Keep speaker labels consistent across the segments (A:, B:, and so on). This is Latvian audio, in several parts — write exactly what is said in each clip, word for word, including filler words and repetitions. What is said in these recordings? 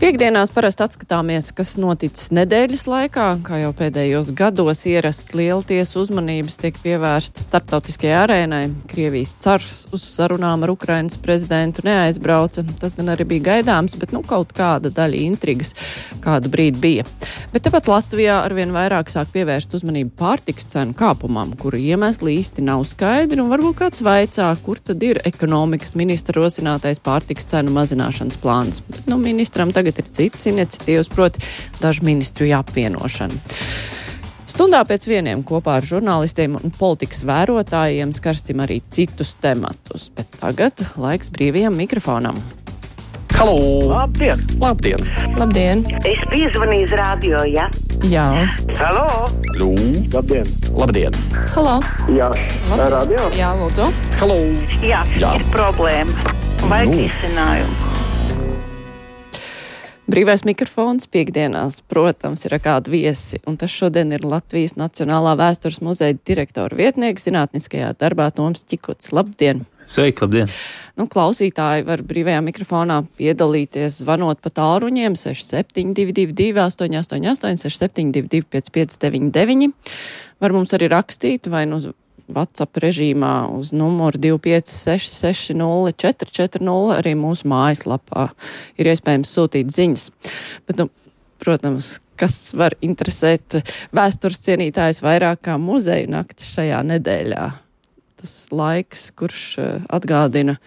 A: Piektdienās parasti atskatāmies, kas noticis nedēļas laikā, kā jau pēdējos gados ierasts lielties uzmanības tiek pievērstas starptautiskajai arēnai. Krievijas cars uz sarunām ar Ukrainas prezidentu neaizbrauca. Tas gan arī bija gaidāms, bet nu kaut kāda daļa intrigas kādu brīdi bija. Bet tepat Latvijā arvien vairāk sāk pievērst uzmanību pārtikas cenu kāpumam, kuru iemesli īsti nav skaidri, un varbūt kāds vaicā, kur tad ir ekonomikas ministra rosinātais pārtikas cenu mazināšanas plāns. Bet, nu, ministram tagad ir citas iniciatīvas, proti dažu ministru apvienošana. Stundā pēc vieniem kopā ar žurnālistiem un politikas vērotājiem skarstim arī citus tematus, bet tagad laiks brīvajam mikrofonam.
B: Halo!
C: Labdien!
B: Labdien!
A: Labdien!
C: Es piezvanīju uz radio, ja?
A: Jā.
C: Halo!
B: Lū!
D: Labdien!
B: Labdien!
A: Halo!
D: Jā,
A: Labdien.
D: radio?
A: Jā, lūdzu.
B: Halo!
C: Jā,
B: Jā.
C: ir problēma. Vajag
B: Nu.
C: risinājumu.
A: Brīvais mikrofons piekdienās, protams, ir ar kādu viesi, un tas šodien ir Latvijas Nacionālā vēstures muzeja direktora vietnieks zinātniskajā darbā Toms Čikuts. Labdien!
E: Sveiki, labdien!
A: Nu, klausītāji var brīvajā mikrofonā piedalīties zvanot pa tālruņiem seši septiņi divi divi divi astoņi astoņi astoņi, seši septiņi divi divi pieci pieci deviņi deviņi. Var mums arī rakstīt vai nu uz WhatsApp režīmā uz numuru divi pieci seši seši nulle četri četri nulle, arī mūsu mājaslapā ir iespējams sūtīt ziņas. Bet, nu, protams, kas var interesēt vēstures cienītājs vairāk kā muzeju naktis šajā nedēļā. Tas laiks, kurš atgādina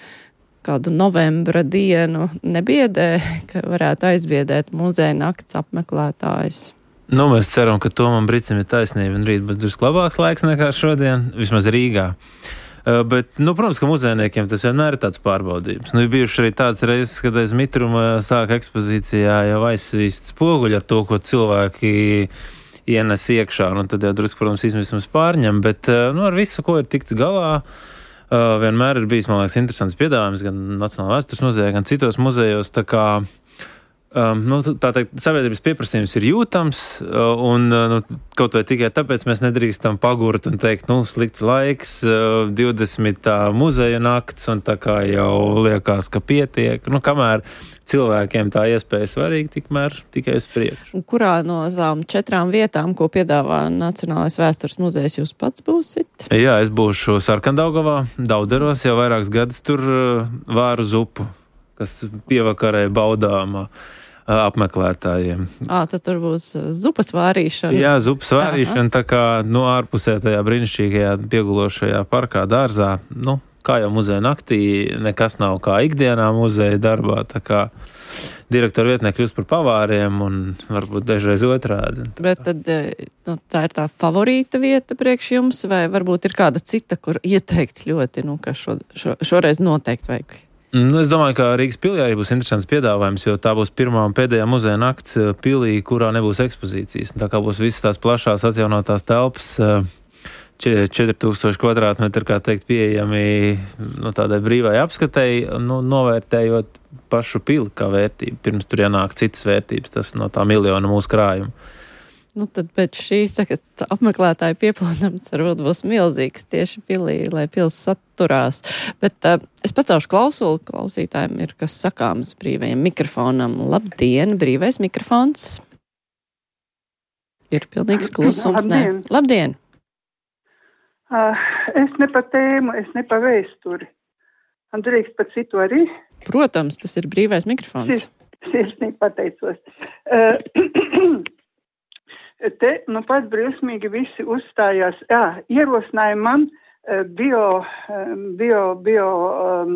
A: kādu novembra dienu, nebiedē, ka varētu aizbiedēt muzeja nakts apmeklētājs.
E: Nu, mēs ceram, ka Tomam Bricim ir taisnība un rīt būs drusku labāks laiks nekā šodien, vismaz Rīgā. Uh, bet, nu, protams, ka muzejniekiem tas vienmēr ir tāds pārbaudījums. Nu, ir bijuši arī tāds reizes, kad aiz mitruma sāk ekspozīcijā jau aizsvīst spoguļi ar to, ko cilvēki ienes iekšā, un tad jau drusku, protams, izmisums pārņem, bet, uh, nu, ar visu, ko ir tikts galā, uh, vienmēr ir bijis, man liekas, interesants piedāvājums gan Nacionālā vēstures muzejā, gan citos muzejos, tā kā Um, nu, tā teikt, sabiedrības pieprasījums ir jūtams, uh, un uh, nu, kaut vai tikai tāpēc mēs nedrīkstam pagurt un teikt, nu, slikts laiks, uh, divdesmitā muzeja nakts, un tā kā jau liekas, ka pietiek. Nu, kamēr cilvēkiem tā iespēja svarīga, tikmēr tikai uz priekšu.
A: Kurā no tām četrām vietām, ko piedāvā Nacionālais vēstures muzejs, jūs pats būsit?
E: Jā, es būšu Sarkandaugavā, Dauderos, jau vairākus gadus tur uh, vāru zupu, kas pievakarē baudām uh, apmeklētājiem.
A: Ā, tad tur būs zupas vārīšana.
E: Jā, zupas vārīšana, tā kā, nu, ārpusē tajā brīnišķīgajā piegulošajā parkā dārzā, nu, kā jau muzeja naktī, nekas nav kā ikdienā muzeja darbā, tā kā direktora vietnieki kļūst par pavāriem un varbūt dažreiz otrādi.
A: Bet tad, nu, tā ir tā favorīta vieta priekš jums, vai varbūt ir kāda cita, kur ieteikt ļoti, nu, ka šo, šo, šoreiz noteikti vajag?
E: Nu, es domāju, ka Rīgas pilī arī būs interesants piedāvājums, jo tā būs pirmā un pēdējā muzeja nakts pilī, kurā nebūs ekspozīcijas. Tā kā būs visas tās plašās atjaunotās telpas, četri tūkstoši kvadrātmetri, kā teikt, pieejami no tādai brīvai apskatei, nu, novērtējot pašu pili kā vērtību. Pirms tur ienāk citas vērtības, tas no tā miljona mūsu krājuma.
A: Nu, tad pēc šīs tagad apmeklētāju piepildījums varbūt būs milzīgs tieši pilī, lai pils saturās. Bet uh, es pacelšu klausuli, klausītājiem ir kas sakāms brīvajam mikrofonam. Labdien, brīvais mikrofons. Ir pilnīgs klusums.
F: Labdien!
A: Ne? Labdien!
F: Uh, es ne pa tēmu, es ne pa vēsturi. Man drīkst pat citu arī.
A: Protams, tas ir brīvais mikrofons.
F: Sirsnīgi pateicos. Uh, Te, nu, pat briesmīgi visi uzstājās. Jā, ierosināja man uh, bio, um, bio, bio um,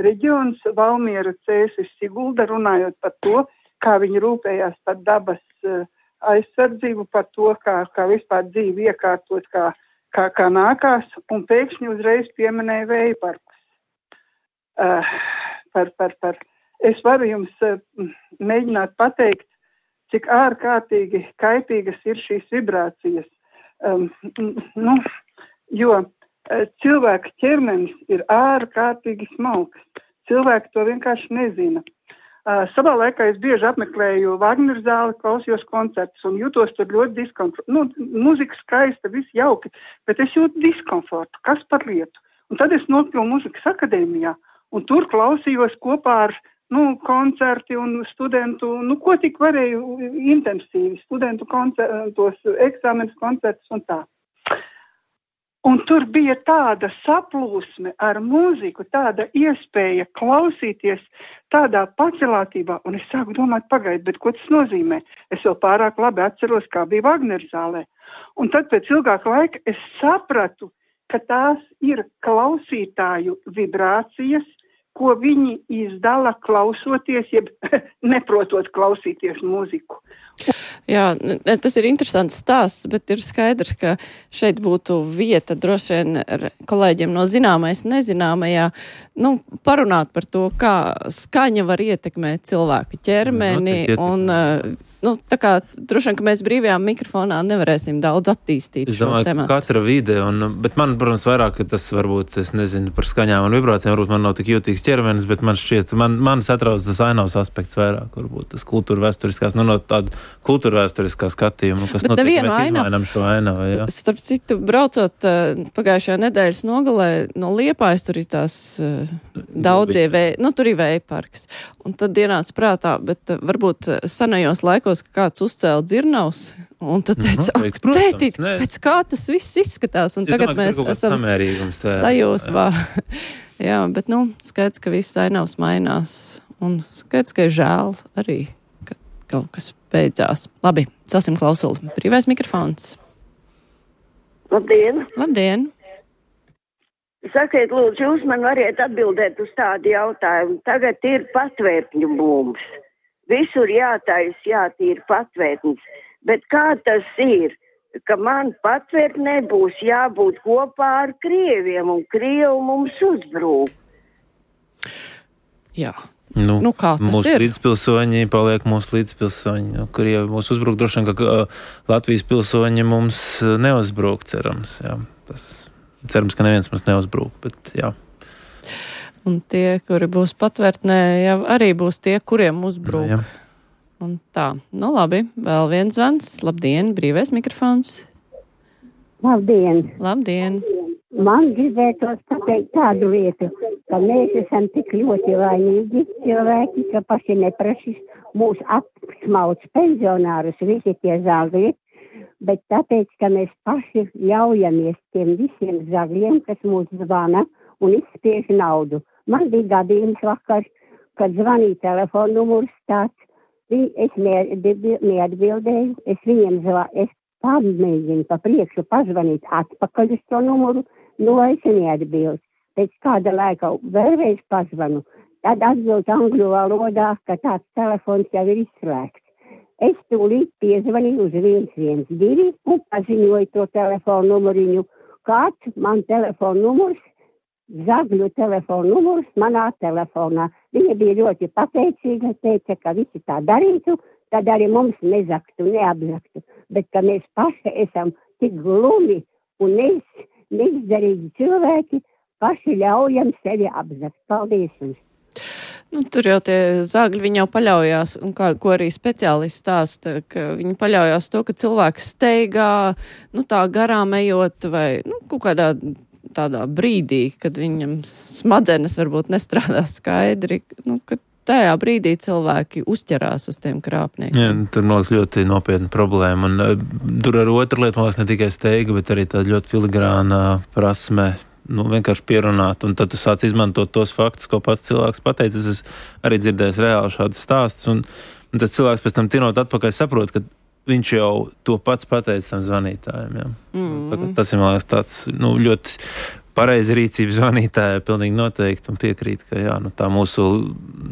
F: reģions Valmiera, Cēsis, Sigulda, runājot par to, kā viņi rūpējās par dabas uh, aizsardzību, par to, kā, kā vispār dzīvi iekārtot, kā, kā, kā nākās, un pēkšņi uzreiz pieminēja vēja parkus. Uh, par, par, par. Es varu jums uh, mēģināt pateikt, cik ārkārtīgi kaitīgas ir šīs vibrācijas. Um, nu, jo uh, cilvēka ķermenis ir ārkārtīgi smalks. Cilvēki to vienkārši nezina. Uh, savā laikā es bieži apmeklēju Vagneru zāli, klausījos koncertus un jūtos tur ļoti diskomfortu. Nu, muzika skaista, viss jauki, bet es jūtu diskomfortu. Kas par lietu? Un tad es nokļuvu muzikas akadēmijā un tur klausījos kopā ar nu, koncerti un studentu, nu, ko tik varēju intensīvi, studentu koncertos, eksāmenes koncertus un tā. Un tur bija tāda saplūsme ar mūziku, tāda iespēja klausīties tādā pacelātībā. Un es sāku domāt, pagaid, bet ko tas nozīmē? Es vēl pārāk labi atceros, kā bija Vagneru zālē. Un tad pēc ilgāka laika es sapratu, ka tās ir klausītāju vibrācijas, ko viņi izdala klausoties, jeb neprotot klausīties mūziku.
A: Jā, tas ir interesants stāsts, bet ir skaidrs, ka šeit būtu vieta droši vien kolēģiem no zināmais nezināmajā, nu, parunāt par to, kā skaņa var ietekmēt cilvēku ķermeni un, nu, tā kā droši vien, ka mēs brīvajā mikrofonā nevarēsim daudz attīstīt
E: es
A: šo
E: domāju,
A: tematu.
E: Katra vide, un, bet man, protams, vairāk, ka tas varbūt, es nezinu, par skaņām un vibrācijām, varbūt man nav tik jūtīgs ķermenis, bet man šķiet, man, man satrauc tas ainavs aspekts vairāk, varbūt tas kultūra vēsturiskās, nu, no tāda kultūra vēsturiskā skatījuma, kas
A: bet
E: notiek, mēs
A: ainav...
E: izmainām šo ainavu, jā.
A: Starp citu, braucot uh, pagājušajā nedēļas nogalē no Liepājas, tur ir tās uh, daudzie vēja, nu, tur ir vēja parks. Un tad ienāca prātā, bet uh, varbūt senajos laikos, ka kāds uzcēla dzirnavs, un tad teica,
E: mm-hmm,
A: ak, tētīt, pēc kā tas viss izskatās, un es tagad domāju, mēs esam sajūsmā. Jā, bet, nu, skaidrs, ka viss ainavs mainās, un skaidrs, ka ir žēl arī, ka kaut kas beidzās. Labi, celsim klausuli. Brīvais mikrofons.
B: Labdien!
A: Labdien!
B: Sakiet, lūdzu, jūs man variet atbildēt uz tādu jautājumu. Tagad ir patvērtņu būms. Visur jātais, jātīra patvērtnis. Bet kā tas ir, ka man patvērtnē būs jābūt kopā ar krieviem un krievi mums uzbrūk?
A: Jā.
E: Nu,
A: nu, kā tas
E: mūsu
A: ir?
E: Līdzpilsoņi paliek mūsu līdzpilsoņi. Nu, Krievi mūs uzbruk, droši vien, ka Latvijas pilsoņi mums neuzbruk, cerams. Jā. Tas, cerams, ka neviens mums neuzbruk, bet jā.
A: Un tie, kuri būs patvērtnē, jau arī būs tie, kuriem uzbruk.
E: Jā.
A: Un tā, nu labi, vēl viens zvans. Labdien, brīvais mikrofons.
D: Labdien!
A: Labdien!
D: Man gribētos pateikt tādu lietu, ka mēs esam tik ļoti laimīgi cilvēki, ka paši neprašīs mūs apsmauc pensionārus, visi tie zagļi, bet tāpēc, ka mēs paši ļaujamies tiem visiem zagļiem, kas mūs zvana un izspiež naudu. Man bija gadījums vakar, kad zvanīja telefonu numurs tāds, es neatbildēju, es viņiem zvanīju, es pamēģinu pa priekšu pazvanīt atpakaļ uz to numuru, nu es neatbildu. Pēc kāda laika vēlreiz pazvanu, tad atbild angļu valodā, ka tāds telefons jau ir izslēgts. Es tūlīt piezvanīju uz viens viens divi un paziņoju to telefonu numuriņu. Kāds man telefonu numurs, zagļu telefonu numurs manā telefonā. Viņa bija ļoti pateicīga, teica, ka visi tā darītu, tad arī mums nezaktu, neapzaktu. Bet ka mēs paši esam tik glumi un neiz, neizdarīgi cilvēki, paši ļaujam sevi apzakt. Paldies jums!
A: Nu, tur jau tie zāgļi, viņi jau paļaujās, un kā, ko arī speciālisti stāsta, ka viņi paļaujās to, ka cilvēks steigā, nu tā garām ejot vai, nu, kaut kādā tādā brīdī, kad viņam smadzenes varbūt nestrādā skaidri, nu, kad tajā brīdī cilvēki uzķerās uz tiem krāpniekiem.
E: Jā, tur, man liekas, ļoti nopietna problēma. Un uh, tur ar otru lietu, man liekas, ne tikai steiga, bet arī tāda ļoti filigrāna prasme, nu, vienkārši pierunāt. Un tad tu sāc izmantot tos faktus, ko pats cilvēks pateica. Es arī dzirdēju reāli šādas stāstus. Un, un tas cilvēks pēc tam tinot atpakaļ saprot, ka viņš jau to pats pateica tam zvanītājiem. Jā. Mm. Tas ir, man liekas, tāds, nu, ļoti pareizi rīcība zvanītāja, pilnīgi noteikti, un piekrīt, ka jā, nu, tā mūsu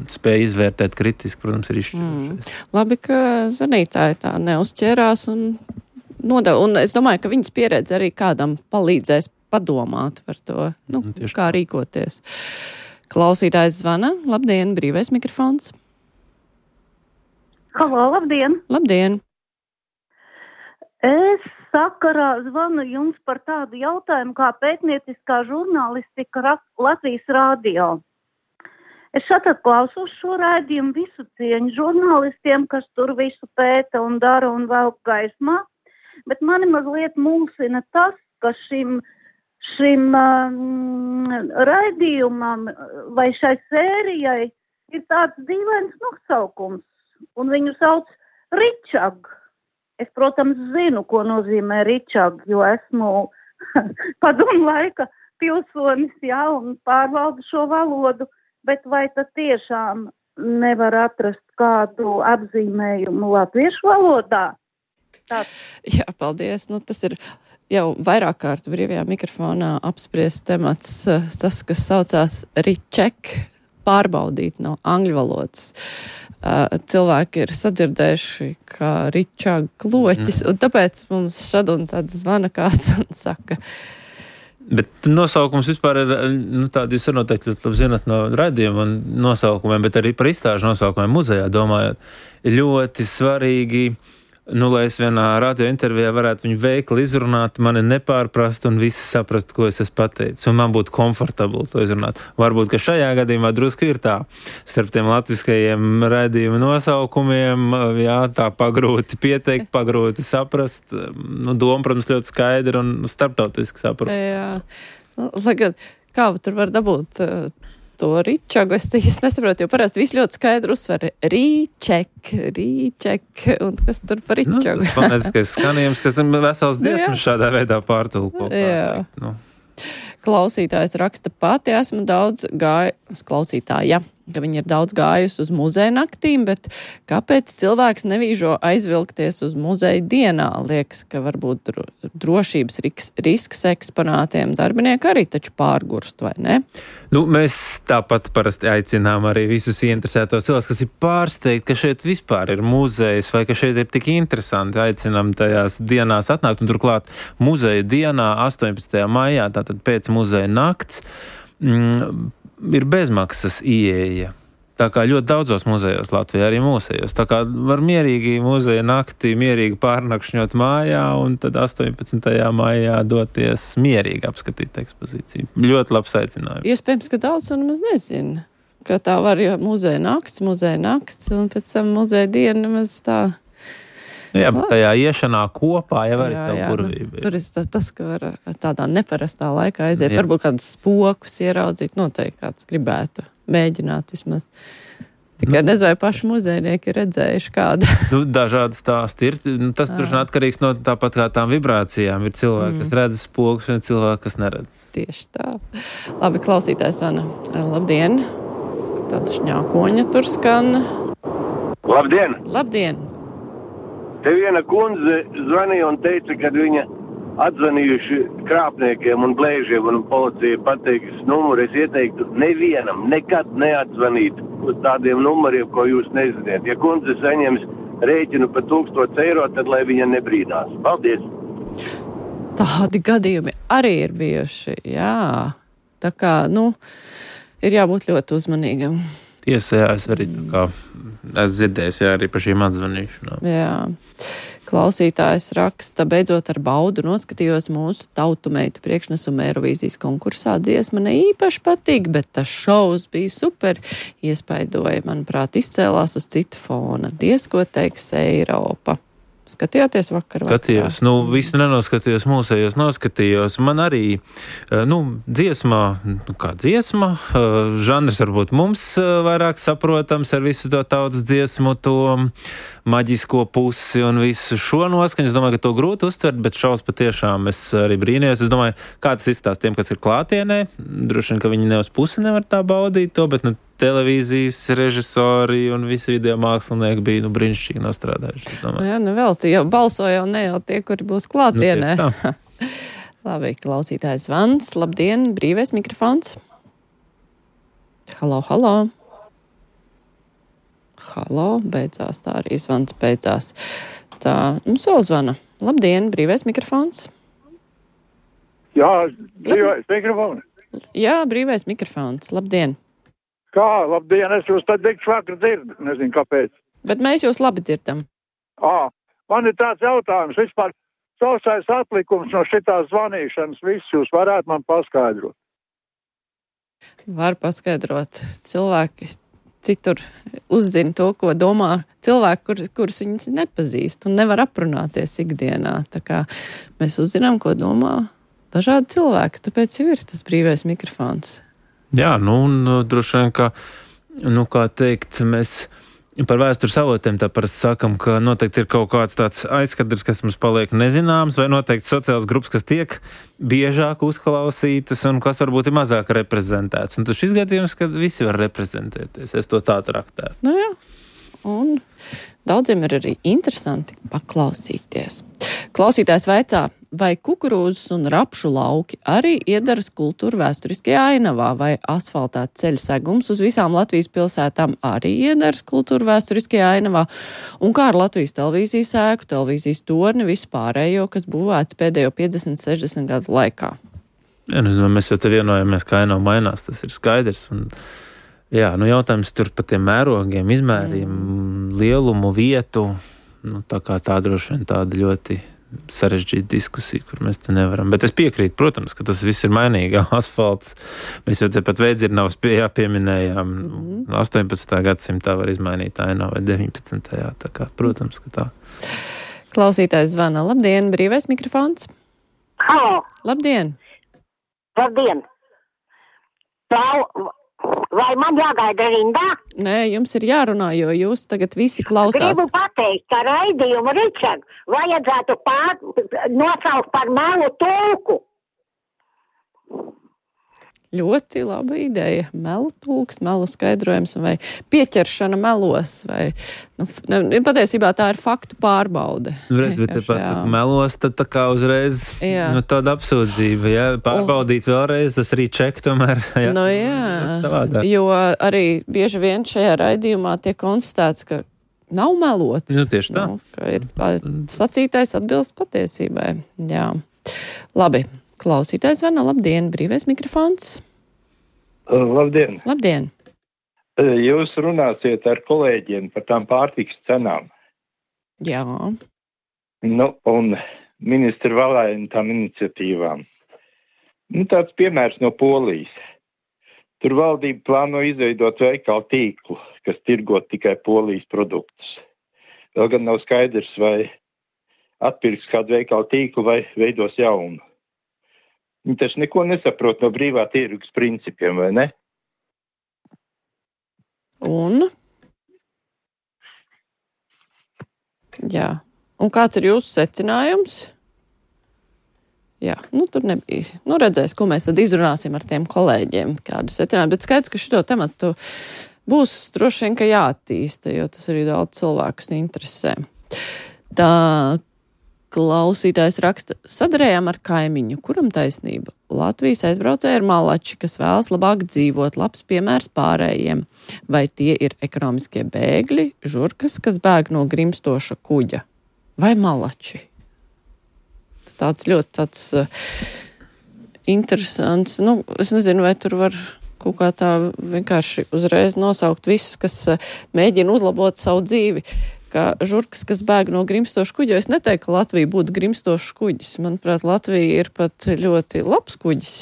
E: spēja izvērtēt kritiski, protams, ir izšķirošais.
A: Mm. Labi, ka zvanītāji tā neuzķērās un nodeva. Un es domāju, ka viņas pieredze arī kādam palīdzēs padomāt par to, nu, mm, kā rīkoties. Klausītājs zvana. Labdien, brīvais mikrofons.
G: Halo, labdien!
A: Labdien!
G: Es sakarā zvanu jums par tādu jautājumu kā pētnieciskā žurnālistika Latvijas radio. Es šatad klausos šo raidījumu, visu cieņu žurnālistiem, kas tur visu pēta un dara un velk gaismā, bet mani mazliet mulsina tas, ka šim, šim um, raidījumam vai šai sērijai ir tāds dīvains nosaukums, un viņu sauc Ričag. Es, protams, zinu, ko nozīmē Ričag, jo esmu padomu laika pilsonis, jā, un pārvaldu šo valodu, bet vai tad tiešām nevar atrast kādu apzīmējumu latviešu valodā? Tāds.
A: Jā, paldies. Nu, tas ir jau vairāk kārt brīvajā mikrofonā apspriests temats, tas, kas saucās Riček, pārbaudīt no angļu valodas. Cilvēki ir sadzirdējuši, kā Ričag kloķis, mm. un tāpēc mums šad un tad zvana kāds un saka.
E: Bet nosaukums vispār ir, nu tādi jūs noteikti labi zinat no raidījuma un nosaukumiem, bet arī par izstāžu nosaukumiem muzejā domājot, ir ļoti svarīgi, nu, lai es vienā radio intervijā varētu viņu veikli izrunāt, mani nepārprast un visi saprast, ko es esmu pateicis. Un man būtu komfortabli to izrunāt. Varbūt, ka šajā gadījumā drusku ir tā. Starp tiem latviskajiem raidījuma nosaukumiem, jā, tā pagrūti pieteikt, pagrūti saprast. Nu, doma, protams, ļoti skaidra un starptautiski saprast.
A: Jā, nu, lai gan kā tur var dabūt uh, to Ričagu, es īsti nesaprotu, jo parasti viss ļoti skaidri uzsver Rīček, Rīček, un kas tur par Ričagu.
E: Nu, tas fonētiskais skanījums, kas ir vesels dziesmas šādā veidā pārtulko.
A: Jā.
E: Nu.
A: Klausītājs raksta pati, esmu daudz gāju, klausītāja, ka viņi ir daudz gājusi uz muzeja naktīm, bet kāpēc cilvēks nevīžo aizvilkties uz muzeja dienā? Liekas, ka varbūt dro, drošības risks, risks eksponātiem darbinieki arī taču pārgurst, vai ne?
E: Nu, mēs tāpat parasti aicinām arī visus ieinteresētos cilvēkus, kas ir pārsteigti, ka šeit vispār ir muzejs vai ka šeit ir tik interesanti. Aicinām tajās dienās atnākt, un turklāt muzeja dienā astoņpadsmitajā maijā, tātad pēc muzeja nakts, mm, ir bezmaksas ieeja. Tā kā ļoti daudzos muzejos Latvijā, arī mūsejos. Tā kā var mierīgi muzeja naktī, mierīgi pārnakšņot mājā un tad astoņpadsmitajā maijā doties mierīgi apskatīt ekspozīciju. Ļoti labs aicinājums.
A: Iespējams, ka daudz un maz nezina, ka tā var, jo muzeja nakts, muzeja nakts un pēc tam muzeja diena maz tā.
E: Jā, bet tajā iešanā kopā jau arī savu
A: jā,
E: burvību.
A: Nu, tur ir tas, ka var tādā neparastā laikā aiziet, jā. Varbūt kādus spokus ieraudzīt, noteikti kāds gribētu mēģināt vismaz. Tikai nu, nezinu, vai paši muzejnieki ir redzējuši kādu.
E: Nu, dažādi stāsti ir. Nu, tas tur atkarīgs no tāpat kā tām vibrācijām. Ir cilvēki, mm. kas redz spokus, un cilvēki, kas neredz.
A: Tieši tā. Labi, klausītājs Vana. Labdien! Tāda šņākoņa tur skan.
H: Labdien!
A: Labdien!
H: Te viena kundze zvanīja un teica, ka viņa atzvanījuši krāpniekiem un blēžiem un policija pateiks numuru. Es ieteiktu nevienam nekad neatzvanīt uz tādiem numuriem, ko jūs neziniet. Ja kundze saņems rēķinu par tūkstots eiro, tad lai viņa nebrīdās. Paldies!
A: Tādi gadījumi arī ir bijuši, jā. Tā kā, nu, ir jābūt ļoti uzmanīgam.
E: Tiesa, jā, es arī tā kā, es dzirdēju, jā, arī par šīm atzvanīšanām.
A: Jā. Klausītājs raksta, beidzot ar baudu noskatījos mūsu tautumeitu priekšnesumu Eirovīzijas konkursā. Dziesma ne īpaši patīk, bet tas šovs bija super. Iespaidoja, manuprāt, izcēlās uz citu fona. Diez, ko teiks Eiropa. Skatījāties vakar?
E: Skatījos. Nu, visu nenoskatījos, mūsējos noskatījos. Man arī, nu, dziesmā, nu, kā dziesma, žanrs varbūt mums vairāk saprotams ar visu to tautas dziesmu, to maģisko pusi un visu šo noskaņu. Es domāju, ka to grūti uztvert, bet šaus patiešām es arī brīnījos. Es domāju, kā tas izstās tiem, kas ir klātienē. Droši vien, ka viņi ne uz pusi nevar tā baudīt to, bet, nu, televīzijas režisori un visi video mākslinieki bija, nu, brīnišķīgi nostrādājuši.
A: Nu jā, nu vēl, jau balso jau ne jau tie, kuri būs klātienē. Nu, labi, klausītājs Vans, labdien, brīvais mikrofons. Halo, halo. Halo, beidzās, tā arī zvans beidzās. Tā, nu, solzvana. Labdien, brīvais mikrofons.
I: Jā, brīvais mikrofons.
A: Jā, brīvais mikrofons, labdien.
I: Kā, labdien, es jūs tad dikšu vakar dzirdu, nezinu kāpēc.
A: Bet mēs jūs labi dzirdam.
I: Ā, man ir tāds jautājums, vispār sausais atlikums no šitās zvanīšanas, viss jūs varētu man paskaidrot.
A: Var paskaidrot. Cilvēki citur uzzina to, ko domā cilvēki, kur, kurus viņus nepazīst un nevar aprunāties ikdienā. Tā kā mēs uzzinām, ko domā dažādi cilvēki, tāpēc jau ir tas brīvais mikrofons.
E: Jā, nu, un droši vien, ka nu, kā teikt, mēs par vēstures avotiem tā parasti sakam, ka noteikti ir kaut kāds tāds aizskatrs, kas mums paliek nezināms, vai noteikti sociāls grupas, kas tiek biežāk uzklausītas un kas varbūt ir mazāk reprezentēts. Un tas šis gadījums, kad visi var reprezentēties. Es to tā traktētu.
A: Nu jā. Un daudziem ir arī interesanti paklausīties. Klausītājs vaicā, vai kukurūzas un rapšu lauki arī iedaras kultūra vēsturiskajā ainavā, vai asfaltēta ceļa segums uz visām Latvijas pilsētām arī iedaras kultūra vēsturiskajā ainavā, un kā ar Latvijas televīzijas ēku, televīzijas torni, visu pārējo, kas būvēts pēdējo piecdesmit sešdesmit gadu laikā.
E: Jā, nu, mēs jau te vienojamies, ka ainava mainās, tas ir skaidrs. Un, jā, nu jautājums tur par tiem mērogiem, izmēriem, mm. lielumu, vietu, nu tā kā tā droši vien tāda ļoti sarežģīta diskusija, kur mēs te nevaram. Bet es piekrītu, protams, ka tas viss ir mainīgi. Asfalts, mēs jau te pat Veidzirnavas pie, pieminējām, mm. astoņpadsmitā gadsimtā var izmainīt ainavu vai deviņpadsmitajā Tā kā, protams, ka tā.
A: Klausītājs zvana. Labdien, brīvais mikrofons.
J: Halo.
A: Labdien.
J: Labdien. Plau, vai man jāgaida rindā?
A: Nē, jums ir jārunā, jo jūs tagad visi klausās.
J: Gribu pateikt, ka raidījumu Ričard vajadzētu pār, nosaukt par melu tulku.
A: Ļoti laba ideja. Melu tulks, melu skaidrojums vai pieķeršana melos. Vai, nu, ne, patiesībā tā ir faktu pārbaude.
E: Redz, bet te pasaka melos, tad tā kā uzreiz nu, tāda apsūdzība. Ja? Pārbaudīt oh. vēlreiz, tas arī ček tomēr. Ja?
A: Nu jā, jo arī bieži vien šajā raidījumā tiek konstatēts, ka nav melots.
E: Nu, tieši tā.
A: Nu, ka ir sacītais atbilst patiesībai. Jā. Labi. Klausītājs zvana. Labdien, brīvais mikrofons.
I: Labdien.
A: Labdien.
I: Jūs runāsiet ar kolēģiem par tām pārtikas cenām.
A: Jā.
I: Nu, un ministra Valēna tām iniciatīvām. Nu, tāds piemērs no Polijas. Tur valdība plāno izveidot veikalu tīklu, kas tirgot tikai Polijas produktus. Vēl gan nav skaidrs, vai atpirks kādu veikalu tīklu vai veidos jaunu. Viņi taču neko nesaprot no brīvā tirgus principiem, vai ne?
A: Un? Jā. Un kāds ir jūsu secinājums? Jā, nu tur nebija. Nu redzēs, ko mēs tad izrunāsim ar tiem kolēģiem, kādu secinājumu. Bet skaidrs, ka šito tematu būs droši vien, ka jāattīsta, jo tas arī daudz cilvēkus interesē. Tā klausītājs raksta, sadarējām ar kaimiņu, kuram taisnība. Latvijas aizbraucēji ir malači, kas vēlas labāk dzīvot, labs piemērs pārējiem. Vai tie ir ekonomiskie bēgļi, žurkas, kas bēg no grimstoša kuģa? Vai malači? Tāds ļoti tāds uh, interesants, nu, es nezinu, vai tur var kaut kā tā vienkārši uzreiz nosaukt visus, kas uh, mēģina uzlabot savu dzīvi. Kā žurkas, kas bēg no grimstoša kuģa. Es neteiktu, ka Latvija būtu grimstošs kuģis. Manuprāt, Latvija ir pat ļoti labs kuģis.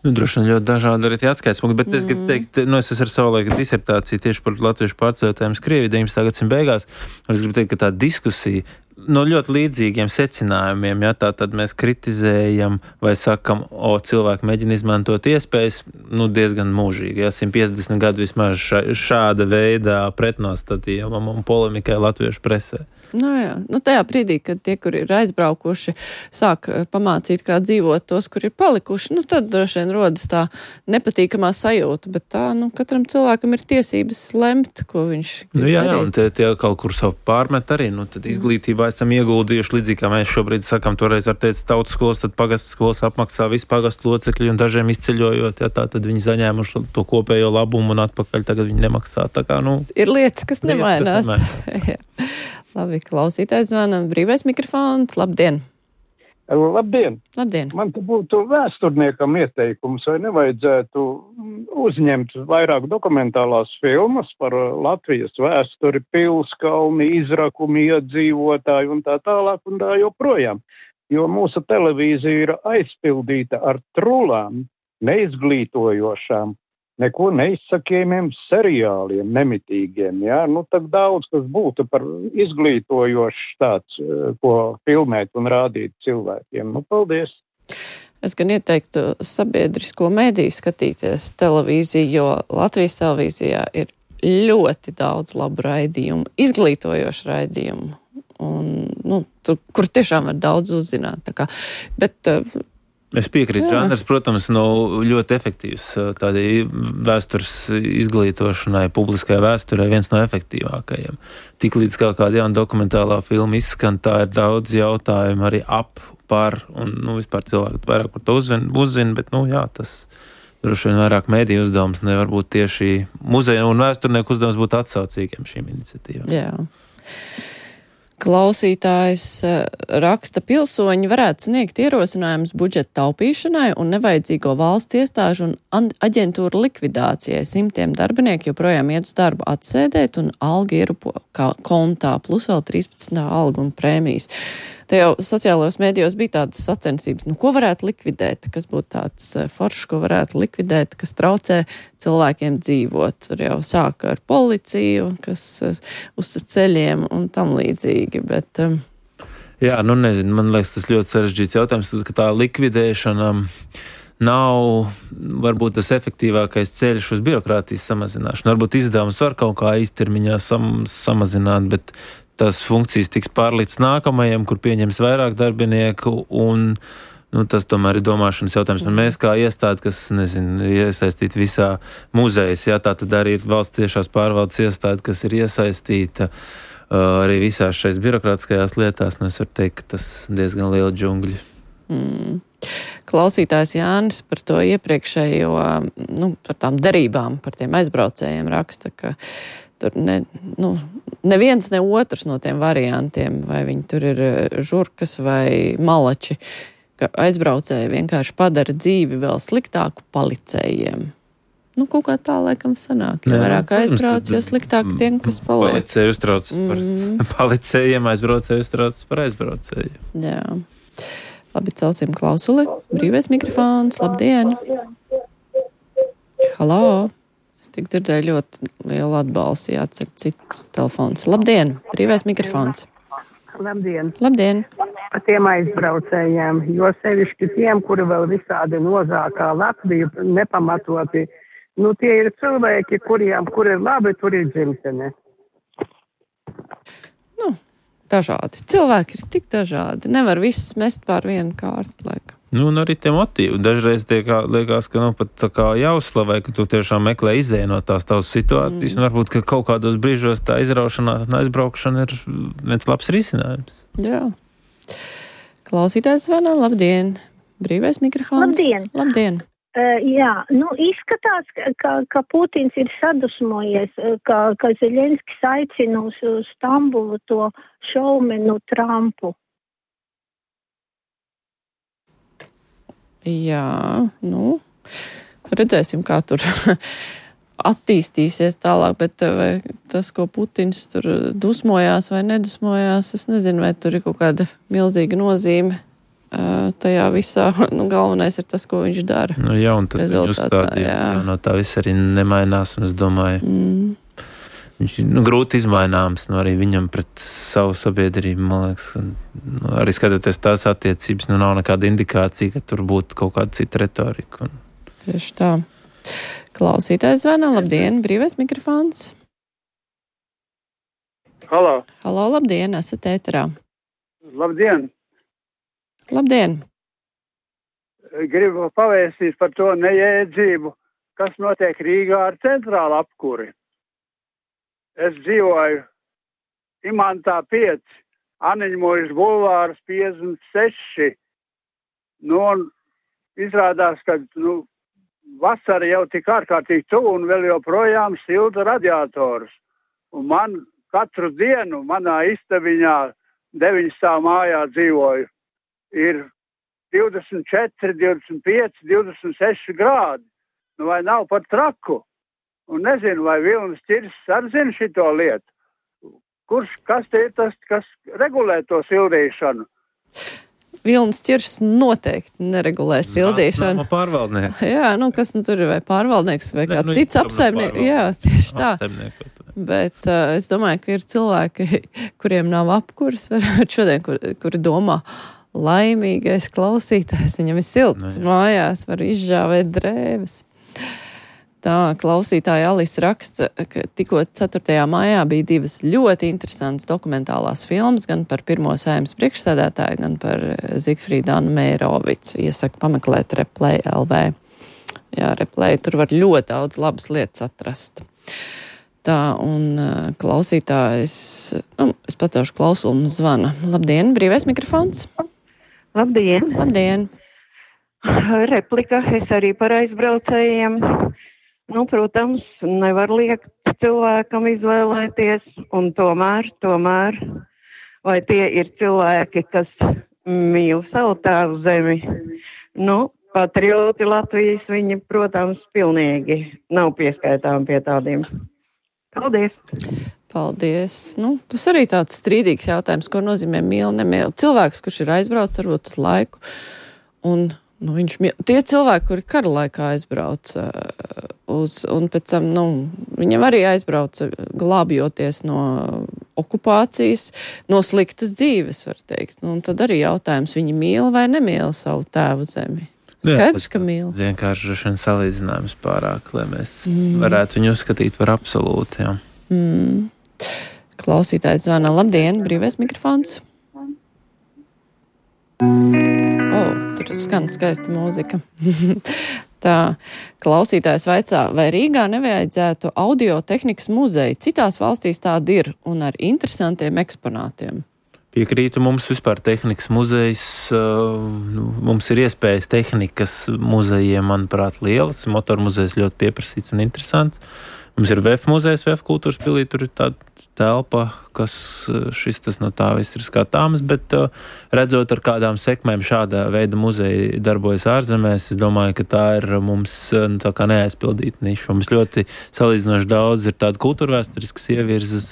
E: Nu, droši vien ļoti dažādi arī tie atskaitspunkti, bet mm. es gribu teikt, nu, es esmu ar savu laiku disertāciju tieši par latviešu pārceļotājiem Krievijā deviņpadsmitā gadsimta beigās, un es gribu teikt, ka tā diskusija no ļoti līdzīgiem secinājumiem, ja tā tad mēs kritizējam vai sakam, o, cilvēki mēģina izmantot iespējas, nu, diezgan mūžīgi, ja, simt piecdesmit gadu vismaz šā, šāda veidā pretnostatījumam un polemikai latviešu presē.
A: Nu jā, nu tajā brīdī, kad tie, kur ir aizbraukuši, sāk pamācīt, kā dzīvot tos, kur ir palikuši, nu tad droši vien rodas tā nepatīkamā sajūta, bet tā, nu, katram cilvēkam ir tiesības lemt, ko viņš
E: nu jā, jā, un tie, tie kaut kur savu pārmet arī, nu tad izglītībā esam ieguldījuši līdzīgi, kā mēs šobrīd sakam, toreiz ar teicu tautas skolas, tad pagastu skolas apmaksā visu pagastu locekļu un dažiem izceļojot, ja tā, tad viņi zaņēmuši to kopējo labumu un atpakaļ tagad viņi nemaksā, tā kā, nu.
A: Ir lietas, kas nemainās. Labi, klausītājs zvanam, brīvais mikrofons, labdien.
I: Labdien.
A: Labdien.
I: Man te būtu vēsturniekam ieteikums, vai nevajadzētu uzņemt vairāk dokumentālās filmas par Latvijas vēsturi, pilskalni, izrakumi, iedzīvotāji un tā tālāk un tā joprojām. Jo mūsu televīzija ir aizpildīta ar trulām, neizglītojošām, neko neizsakījumiem seriāliem, nemitīgiem. Ja? Nu, tak daudz, kas būtu par izglītojošs tāds, ko filmēt un rādīt cilvēkiem. Nu, paldies!
A: Es gan ieteiktu sabiedrisko mediju skatīties televīziju, jo Latvijas televīzijā ir ļoti daudz labu raidījumu, izglītojošu raidījumu, un, nu, tur, kur tiešām var daudz uzzināt. Tā kā, bet,
E: Es piekrītu, žanrs, protams, nav ļoti efektīvs tādai vēstures izglītošanai, publiskai vēsturē viens no efektīvākajiem. Tiklīdz kā kāda jauna dokumentālā filma izskan, tā ir daudz jautājumu arī ap, par, un, nu, vispār cilvēki vairāk par to uzzina, uzzin, bet, nu, jā, tas droši vien vairāk mēdīju uzdevums nevar būt tieši muzeja un vēsturnieku uzdevums būt atsaucīgiem šīm iniciatīvām.
A: Jā. Klausītājs raksta, pilsoņi varētu sniegt ierosinājumus budžeta taupīšanai un nevajadzīgo valsts iestāžu un aģentūru likvidācijai. Simtiem darbinieku joprojām iet uz darbu atsēdēt un alga ierupo kā kontā, plus vēl trīspadsmitā alga un prēmijas. Te jau sociālajos mēdījos bija tādas sacensības, nu ko varētu likvidēt, kas būtu tāds foršs, ko varētu likvidēt, kas traucē cilvēkiem dzīvot. Tur jau sāka ar policiju, kas uz ceļiem un tam līdzīgi, bet... Um...
E: Jā, nu nezinu, man liekas, tas ļoti sarežģīts jautājums, ka tā likvidēšana nav varbūt tas efektīvākais ceļš uz birokrātijas samazināšanu. Varbūt izdevums var kaut kā īstermiņā sam, samazināt, bet tās funkcijas tiks pārlīdz nākamajam, kur pieņems vairāk darbinieku, un nu, tas tomēr ir domāšanas jautājums. Un mēs kā iestāde, kas, nezinu, iesaistīta visā muzejas, jā, tā tad arī ir valsts tiešās pārvaldes iestāde, kas ir iesaistīta uh, arī visās šais birokrātiskajās lietās, nu es varu teikt, ka tas diezgan liela džungļi.
A: Mm. Klausītājs Jānis par to iepriekšējo, nu, par tām derībām, par tiem aizbraucējiem raksta, ka tur ne, nu, neviens ne otrs no tiem variantiem, vai viņi tur ir žurkas vai malači, ka aizbraucēji vienkārši padara dzīvi vēl sliktāku palicējiem. Nu, kaut kā tā laikam sanāk. Ja vairāk aizbrauc, jo sliktāk tiem, kas paliek.
E: Palicēji uztrauc par mm. palicējiem, aizbraucēji uztrauc par aizbraucējiem.
A: Jā. Labi, celsim klausuli. Brīvais mikrofons. Labdien! Halo! Es tik dzirdēju ļoti lielu atbalstu, jācer cits telefons. Labdien! Brīvais mikrofons.
K: Labdien!
A: Labdien!
K: Par tiem aizbraucējiem, jo sevišķi tiem, kuri vēl visādi nozākā Latviju nepamatoti, nu tie ir cilvēki, kuriem, kur ir labi, tur ir dzimtene.
A: Nu, dažādi. Cilvēki ir tik dažādi. Nevar visus mest pār vienu kārtu, laikam.
E: Nu, un arī tie motīvi. Dažreiz tie kā, liekas, ka nu pat tā kā jāuzslavē, ka tu tiešām meklē izēju no tās tavas situācijas, mm. un varbūt, ka kaut kādos brīžos tā izraušanās un aizbraukšana ir viens labs risinājums.
A: Jā. Klausītājs zvana, labdien! Brīvais mikrofons.
J: Labdien!
A: Labdien!
J: Uh, jā, nu izskatās, ka, ka Putins ir sadusmojies, ka, ka Zeļenskis aicina uz Stambulu to šaumenu Trumpu.
A: Jā, nu, redzēsim, kā tur attīstīsies tālāk, bet vai tas, ko Putins tur dusmojās vai nedusmojās, es nezinu, vai tur ir kaut kāda milzīga nozīme tajā visā. Nu, galvenais ir tas, ko viņš dara.
E: Nu, jā, un tad viņa uzstādījums no tā viss arī nemainās, un es domāju, mm. viņš ir nu, grūti izmaināms, nu, arī viņam pret savu sabiedrību, man liekas, un, nu, arī skatoties tās attiecības, nu, nav nekāda indikācija, ka tur būtu kaut kāda cita retorika. Un...
A: Tieši tā. Klausītājs zvana, labdien, brīvais mikrofons.
I: Halo.
A: Halo, labdien, esat ēterā.
I: Labdien.
A: Labdien.
I: Gribu pavēstīt par to nejēdzību, kas notiek Rīgā ar centrālu apkuri. Es dzīvoju Imantā pieci, Aniņmojas bulvārs piecdesmit seši. Nu, un izrādās, ka nu, vasara jau tik ārkārtīgi tuvu un vēl joprojām silta radiatorus. Un man katru dienu manā istabiņā deviņstāv mājā dzīvoju. Ir divdesmit četri, divdesmit pieci, divdesmit seši grādi. Nu, vai nav par traku? Un nezinu, vai Vilnis Ķirs arī zina šito lietu. Kurš, kas te ir tas, kas regulē to sildīšanu?
A: Vilnis Ķirs noteikti neregulē sildīšanu.
E: Nā, pārvaldnieks.
A: Jā, nu kas nu tur ir, vai pārvaldnieks, vai kā
E: nu,
A: cits apsaimnieks. Jā, tieši tā. Bet uh, es domāju, ka ir cilvēki, kuriem nav apkuras, varbūt šodien, kur, kuri domā, laimīgais klausītājs, viņam ir silts
E: ne,
A: mājās, var izžāvēt drēbes. Tā klausītāja Alis raksta, ka tikko ceturtajā maijā bija divas ļoti interesantas dokumentālās filmas, gan par pirmo Saeimas priekšsēdētāju, gan par Zigfrīdu Annu Meirovicu. Iesaku pameklēt Replay L V. Jā, Replay, tur var ļoti daudz labas lietas atrast. Tā, un klausītājs, nu, es pacelšu klausulu, mums zvana. Labdien, brīvais mikrofons.
L: Labdien.
A: Labdien.
L: Replika, es arī par aizbraucējiem. Nu, protams, nevar liekt cilvēkam izvēlēties, un tomēr, tomēr, vai tie ir cilvēki, kas mīl savu tēvu zemi. Nu, patrioti Latvijas viņi, protams, pilnīgi nav pieskaitām pie tādiem. Paldies!
A: Paldies! Nu, tas arī tāds strīdīgs jautājums, ko nozīmē mīl, nemīl. Cilvēks, kurš ir aizbraucis varbūt uz laiku, un nu, viņš mīl. Tie cilvēki, kuri kara laikā aizbrauc uz, un pēc tam, nu, viņam arī aizbrauc glābjoties no okupācijas, no sliktas dzīves, var teikt. Nu, un tad arī jautājums, viņi mīl vai nemīl savu tēvu zemi? Skaidrs, ka mīl.
E: Vienkārši šodien salīdzinājums pārāk, lai mēs mm. varētu viņu uzskatīt par absolūtu, jā.
A: Mm. Klausītājs zvana. Labdien, brīvais mikrofons. Oh, tur skan skaista mūzika. Tā, klausītājs vaicā, vai Rīgā nevajadzētu audiotehnikas muzeju? Citās valstīs tādi ir un ar interesantiem eksponātiem.
E: Piekrītu, mums vispār tehnikas muzejs, mums ir iespējas tehnikas muzejiem, manuprāt, lielas. Motoru muzejs ļoti pieprasīts un interesants. Mums ir V E F muzejs, V E F kultūras pilī, tur ir tāda telpa, kas šis tas no tā viss ir skatāms, bet redzot, ar kādām sekmēm šāda veida muzeja darbojas ārzemēs, es domāju, ka tā ir mums tā kā neaizpildīta niša. Mums ļoti salīdzinoši daudz ir tāda kultūrvēsturiskas ievirzes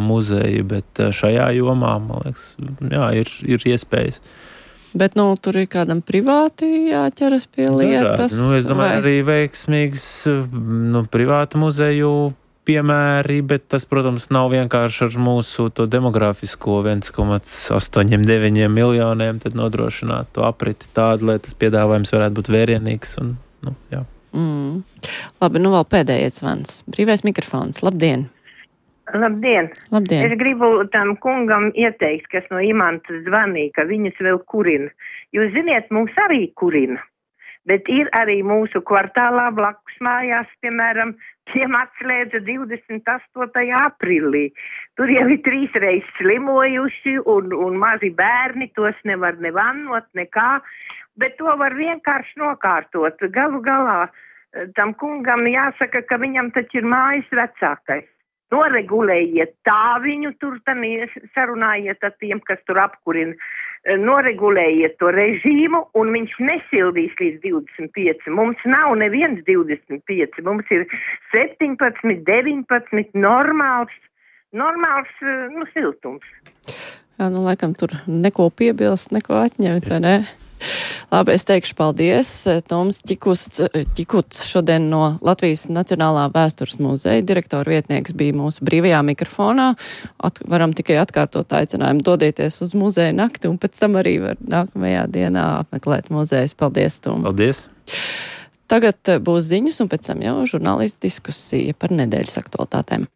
E: muzeja, bet šajā jomā, man liekas, jā, ir, ir iespējas.
A: Bet, nu, tur ir kādam privāti jāķeras pie lietas.
E: Nu, es domāju, vai? Arī veiksmīgs, nu, privāta muzeju piemēri, bet tas, protams, nav vienkārši ar mūsu to demografisko viens komats astoņi deviņi miljoniem, tad nodrošināt to apriti tādu, lai tas piedāvājums varētu būt vērienīgs un, nu, jā.
A: Mm. Labi, nu vēl pēdējais zvans. Brīvais mikrofons. Labdien!
M: Labdien.
A: Labdien!
M: Es gribu tam kungam ieteikt, kas no Imantas zvanīja, ka viņas vēl kurina. Jūs ziniet, mums arī kurina. Bet ir arī mūsu kvartālā blakus mājās, piemēram, tiem atslēdza divdesmit astotajā aprīlī. Tur jau ir trīs reizes slimojuši un, un mazi bērni, tos nevar nevannot, nekā, bet to var vienkārši nokārtot. Galu galā tam kungam jāsaka, ka viņam taču ir mājas vecākais. Noregulējiet tā viņu tur, tam sarunājiet ar tiem, kas tur apkurina. Noregulējiet to režīmu un viņš nesildīs līdz divdesmit pieci. Mums nav neviens divdesmit pieci, mums ir septiņpadsmit, deviņpadsmit normāls, normāls, nu, siltums.
A: Jā, nu, laikam tur neko piebilst, neko atņemt, vai ne? Labi, es teikšu paldies. Toms Ķikuts, Ķikuts šodien no Latvijas Nacionālā vēstures muzeja direktora vietnieks bija mūsu brīvajā mikrofonā. At, varam tikai atkārtot aicinājumu dodieties uz muzeja nakti un pēc tam arī var nākamajā dienā apmeklēt muzejus. Paldies, Tom.
E: Paldies.
A: Tagad būs ziņas un pēc tam jau žurnālistu diskusija par nedēļas aktualitātēm.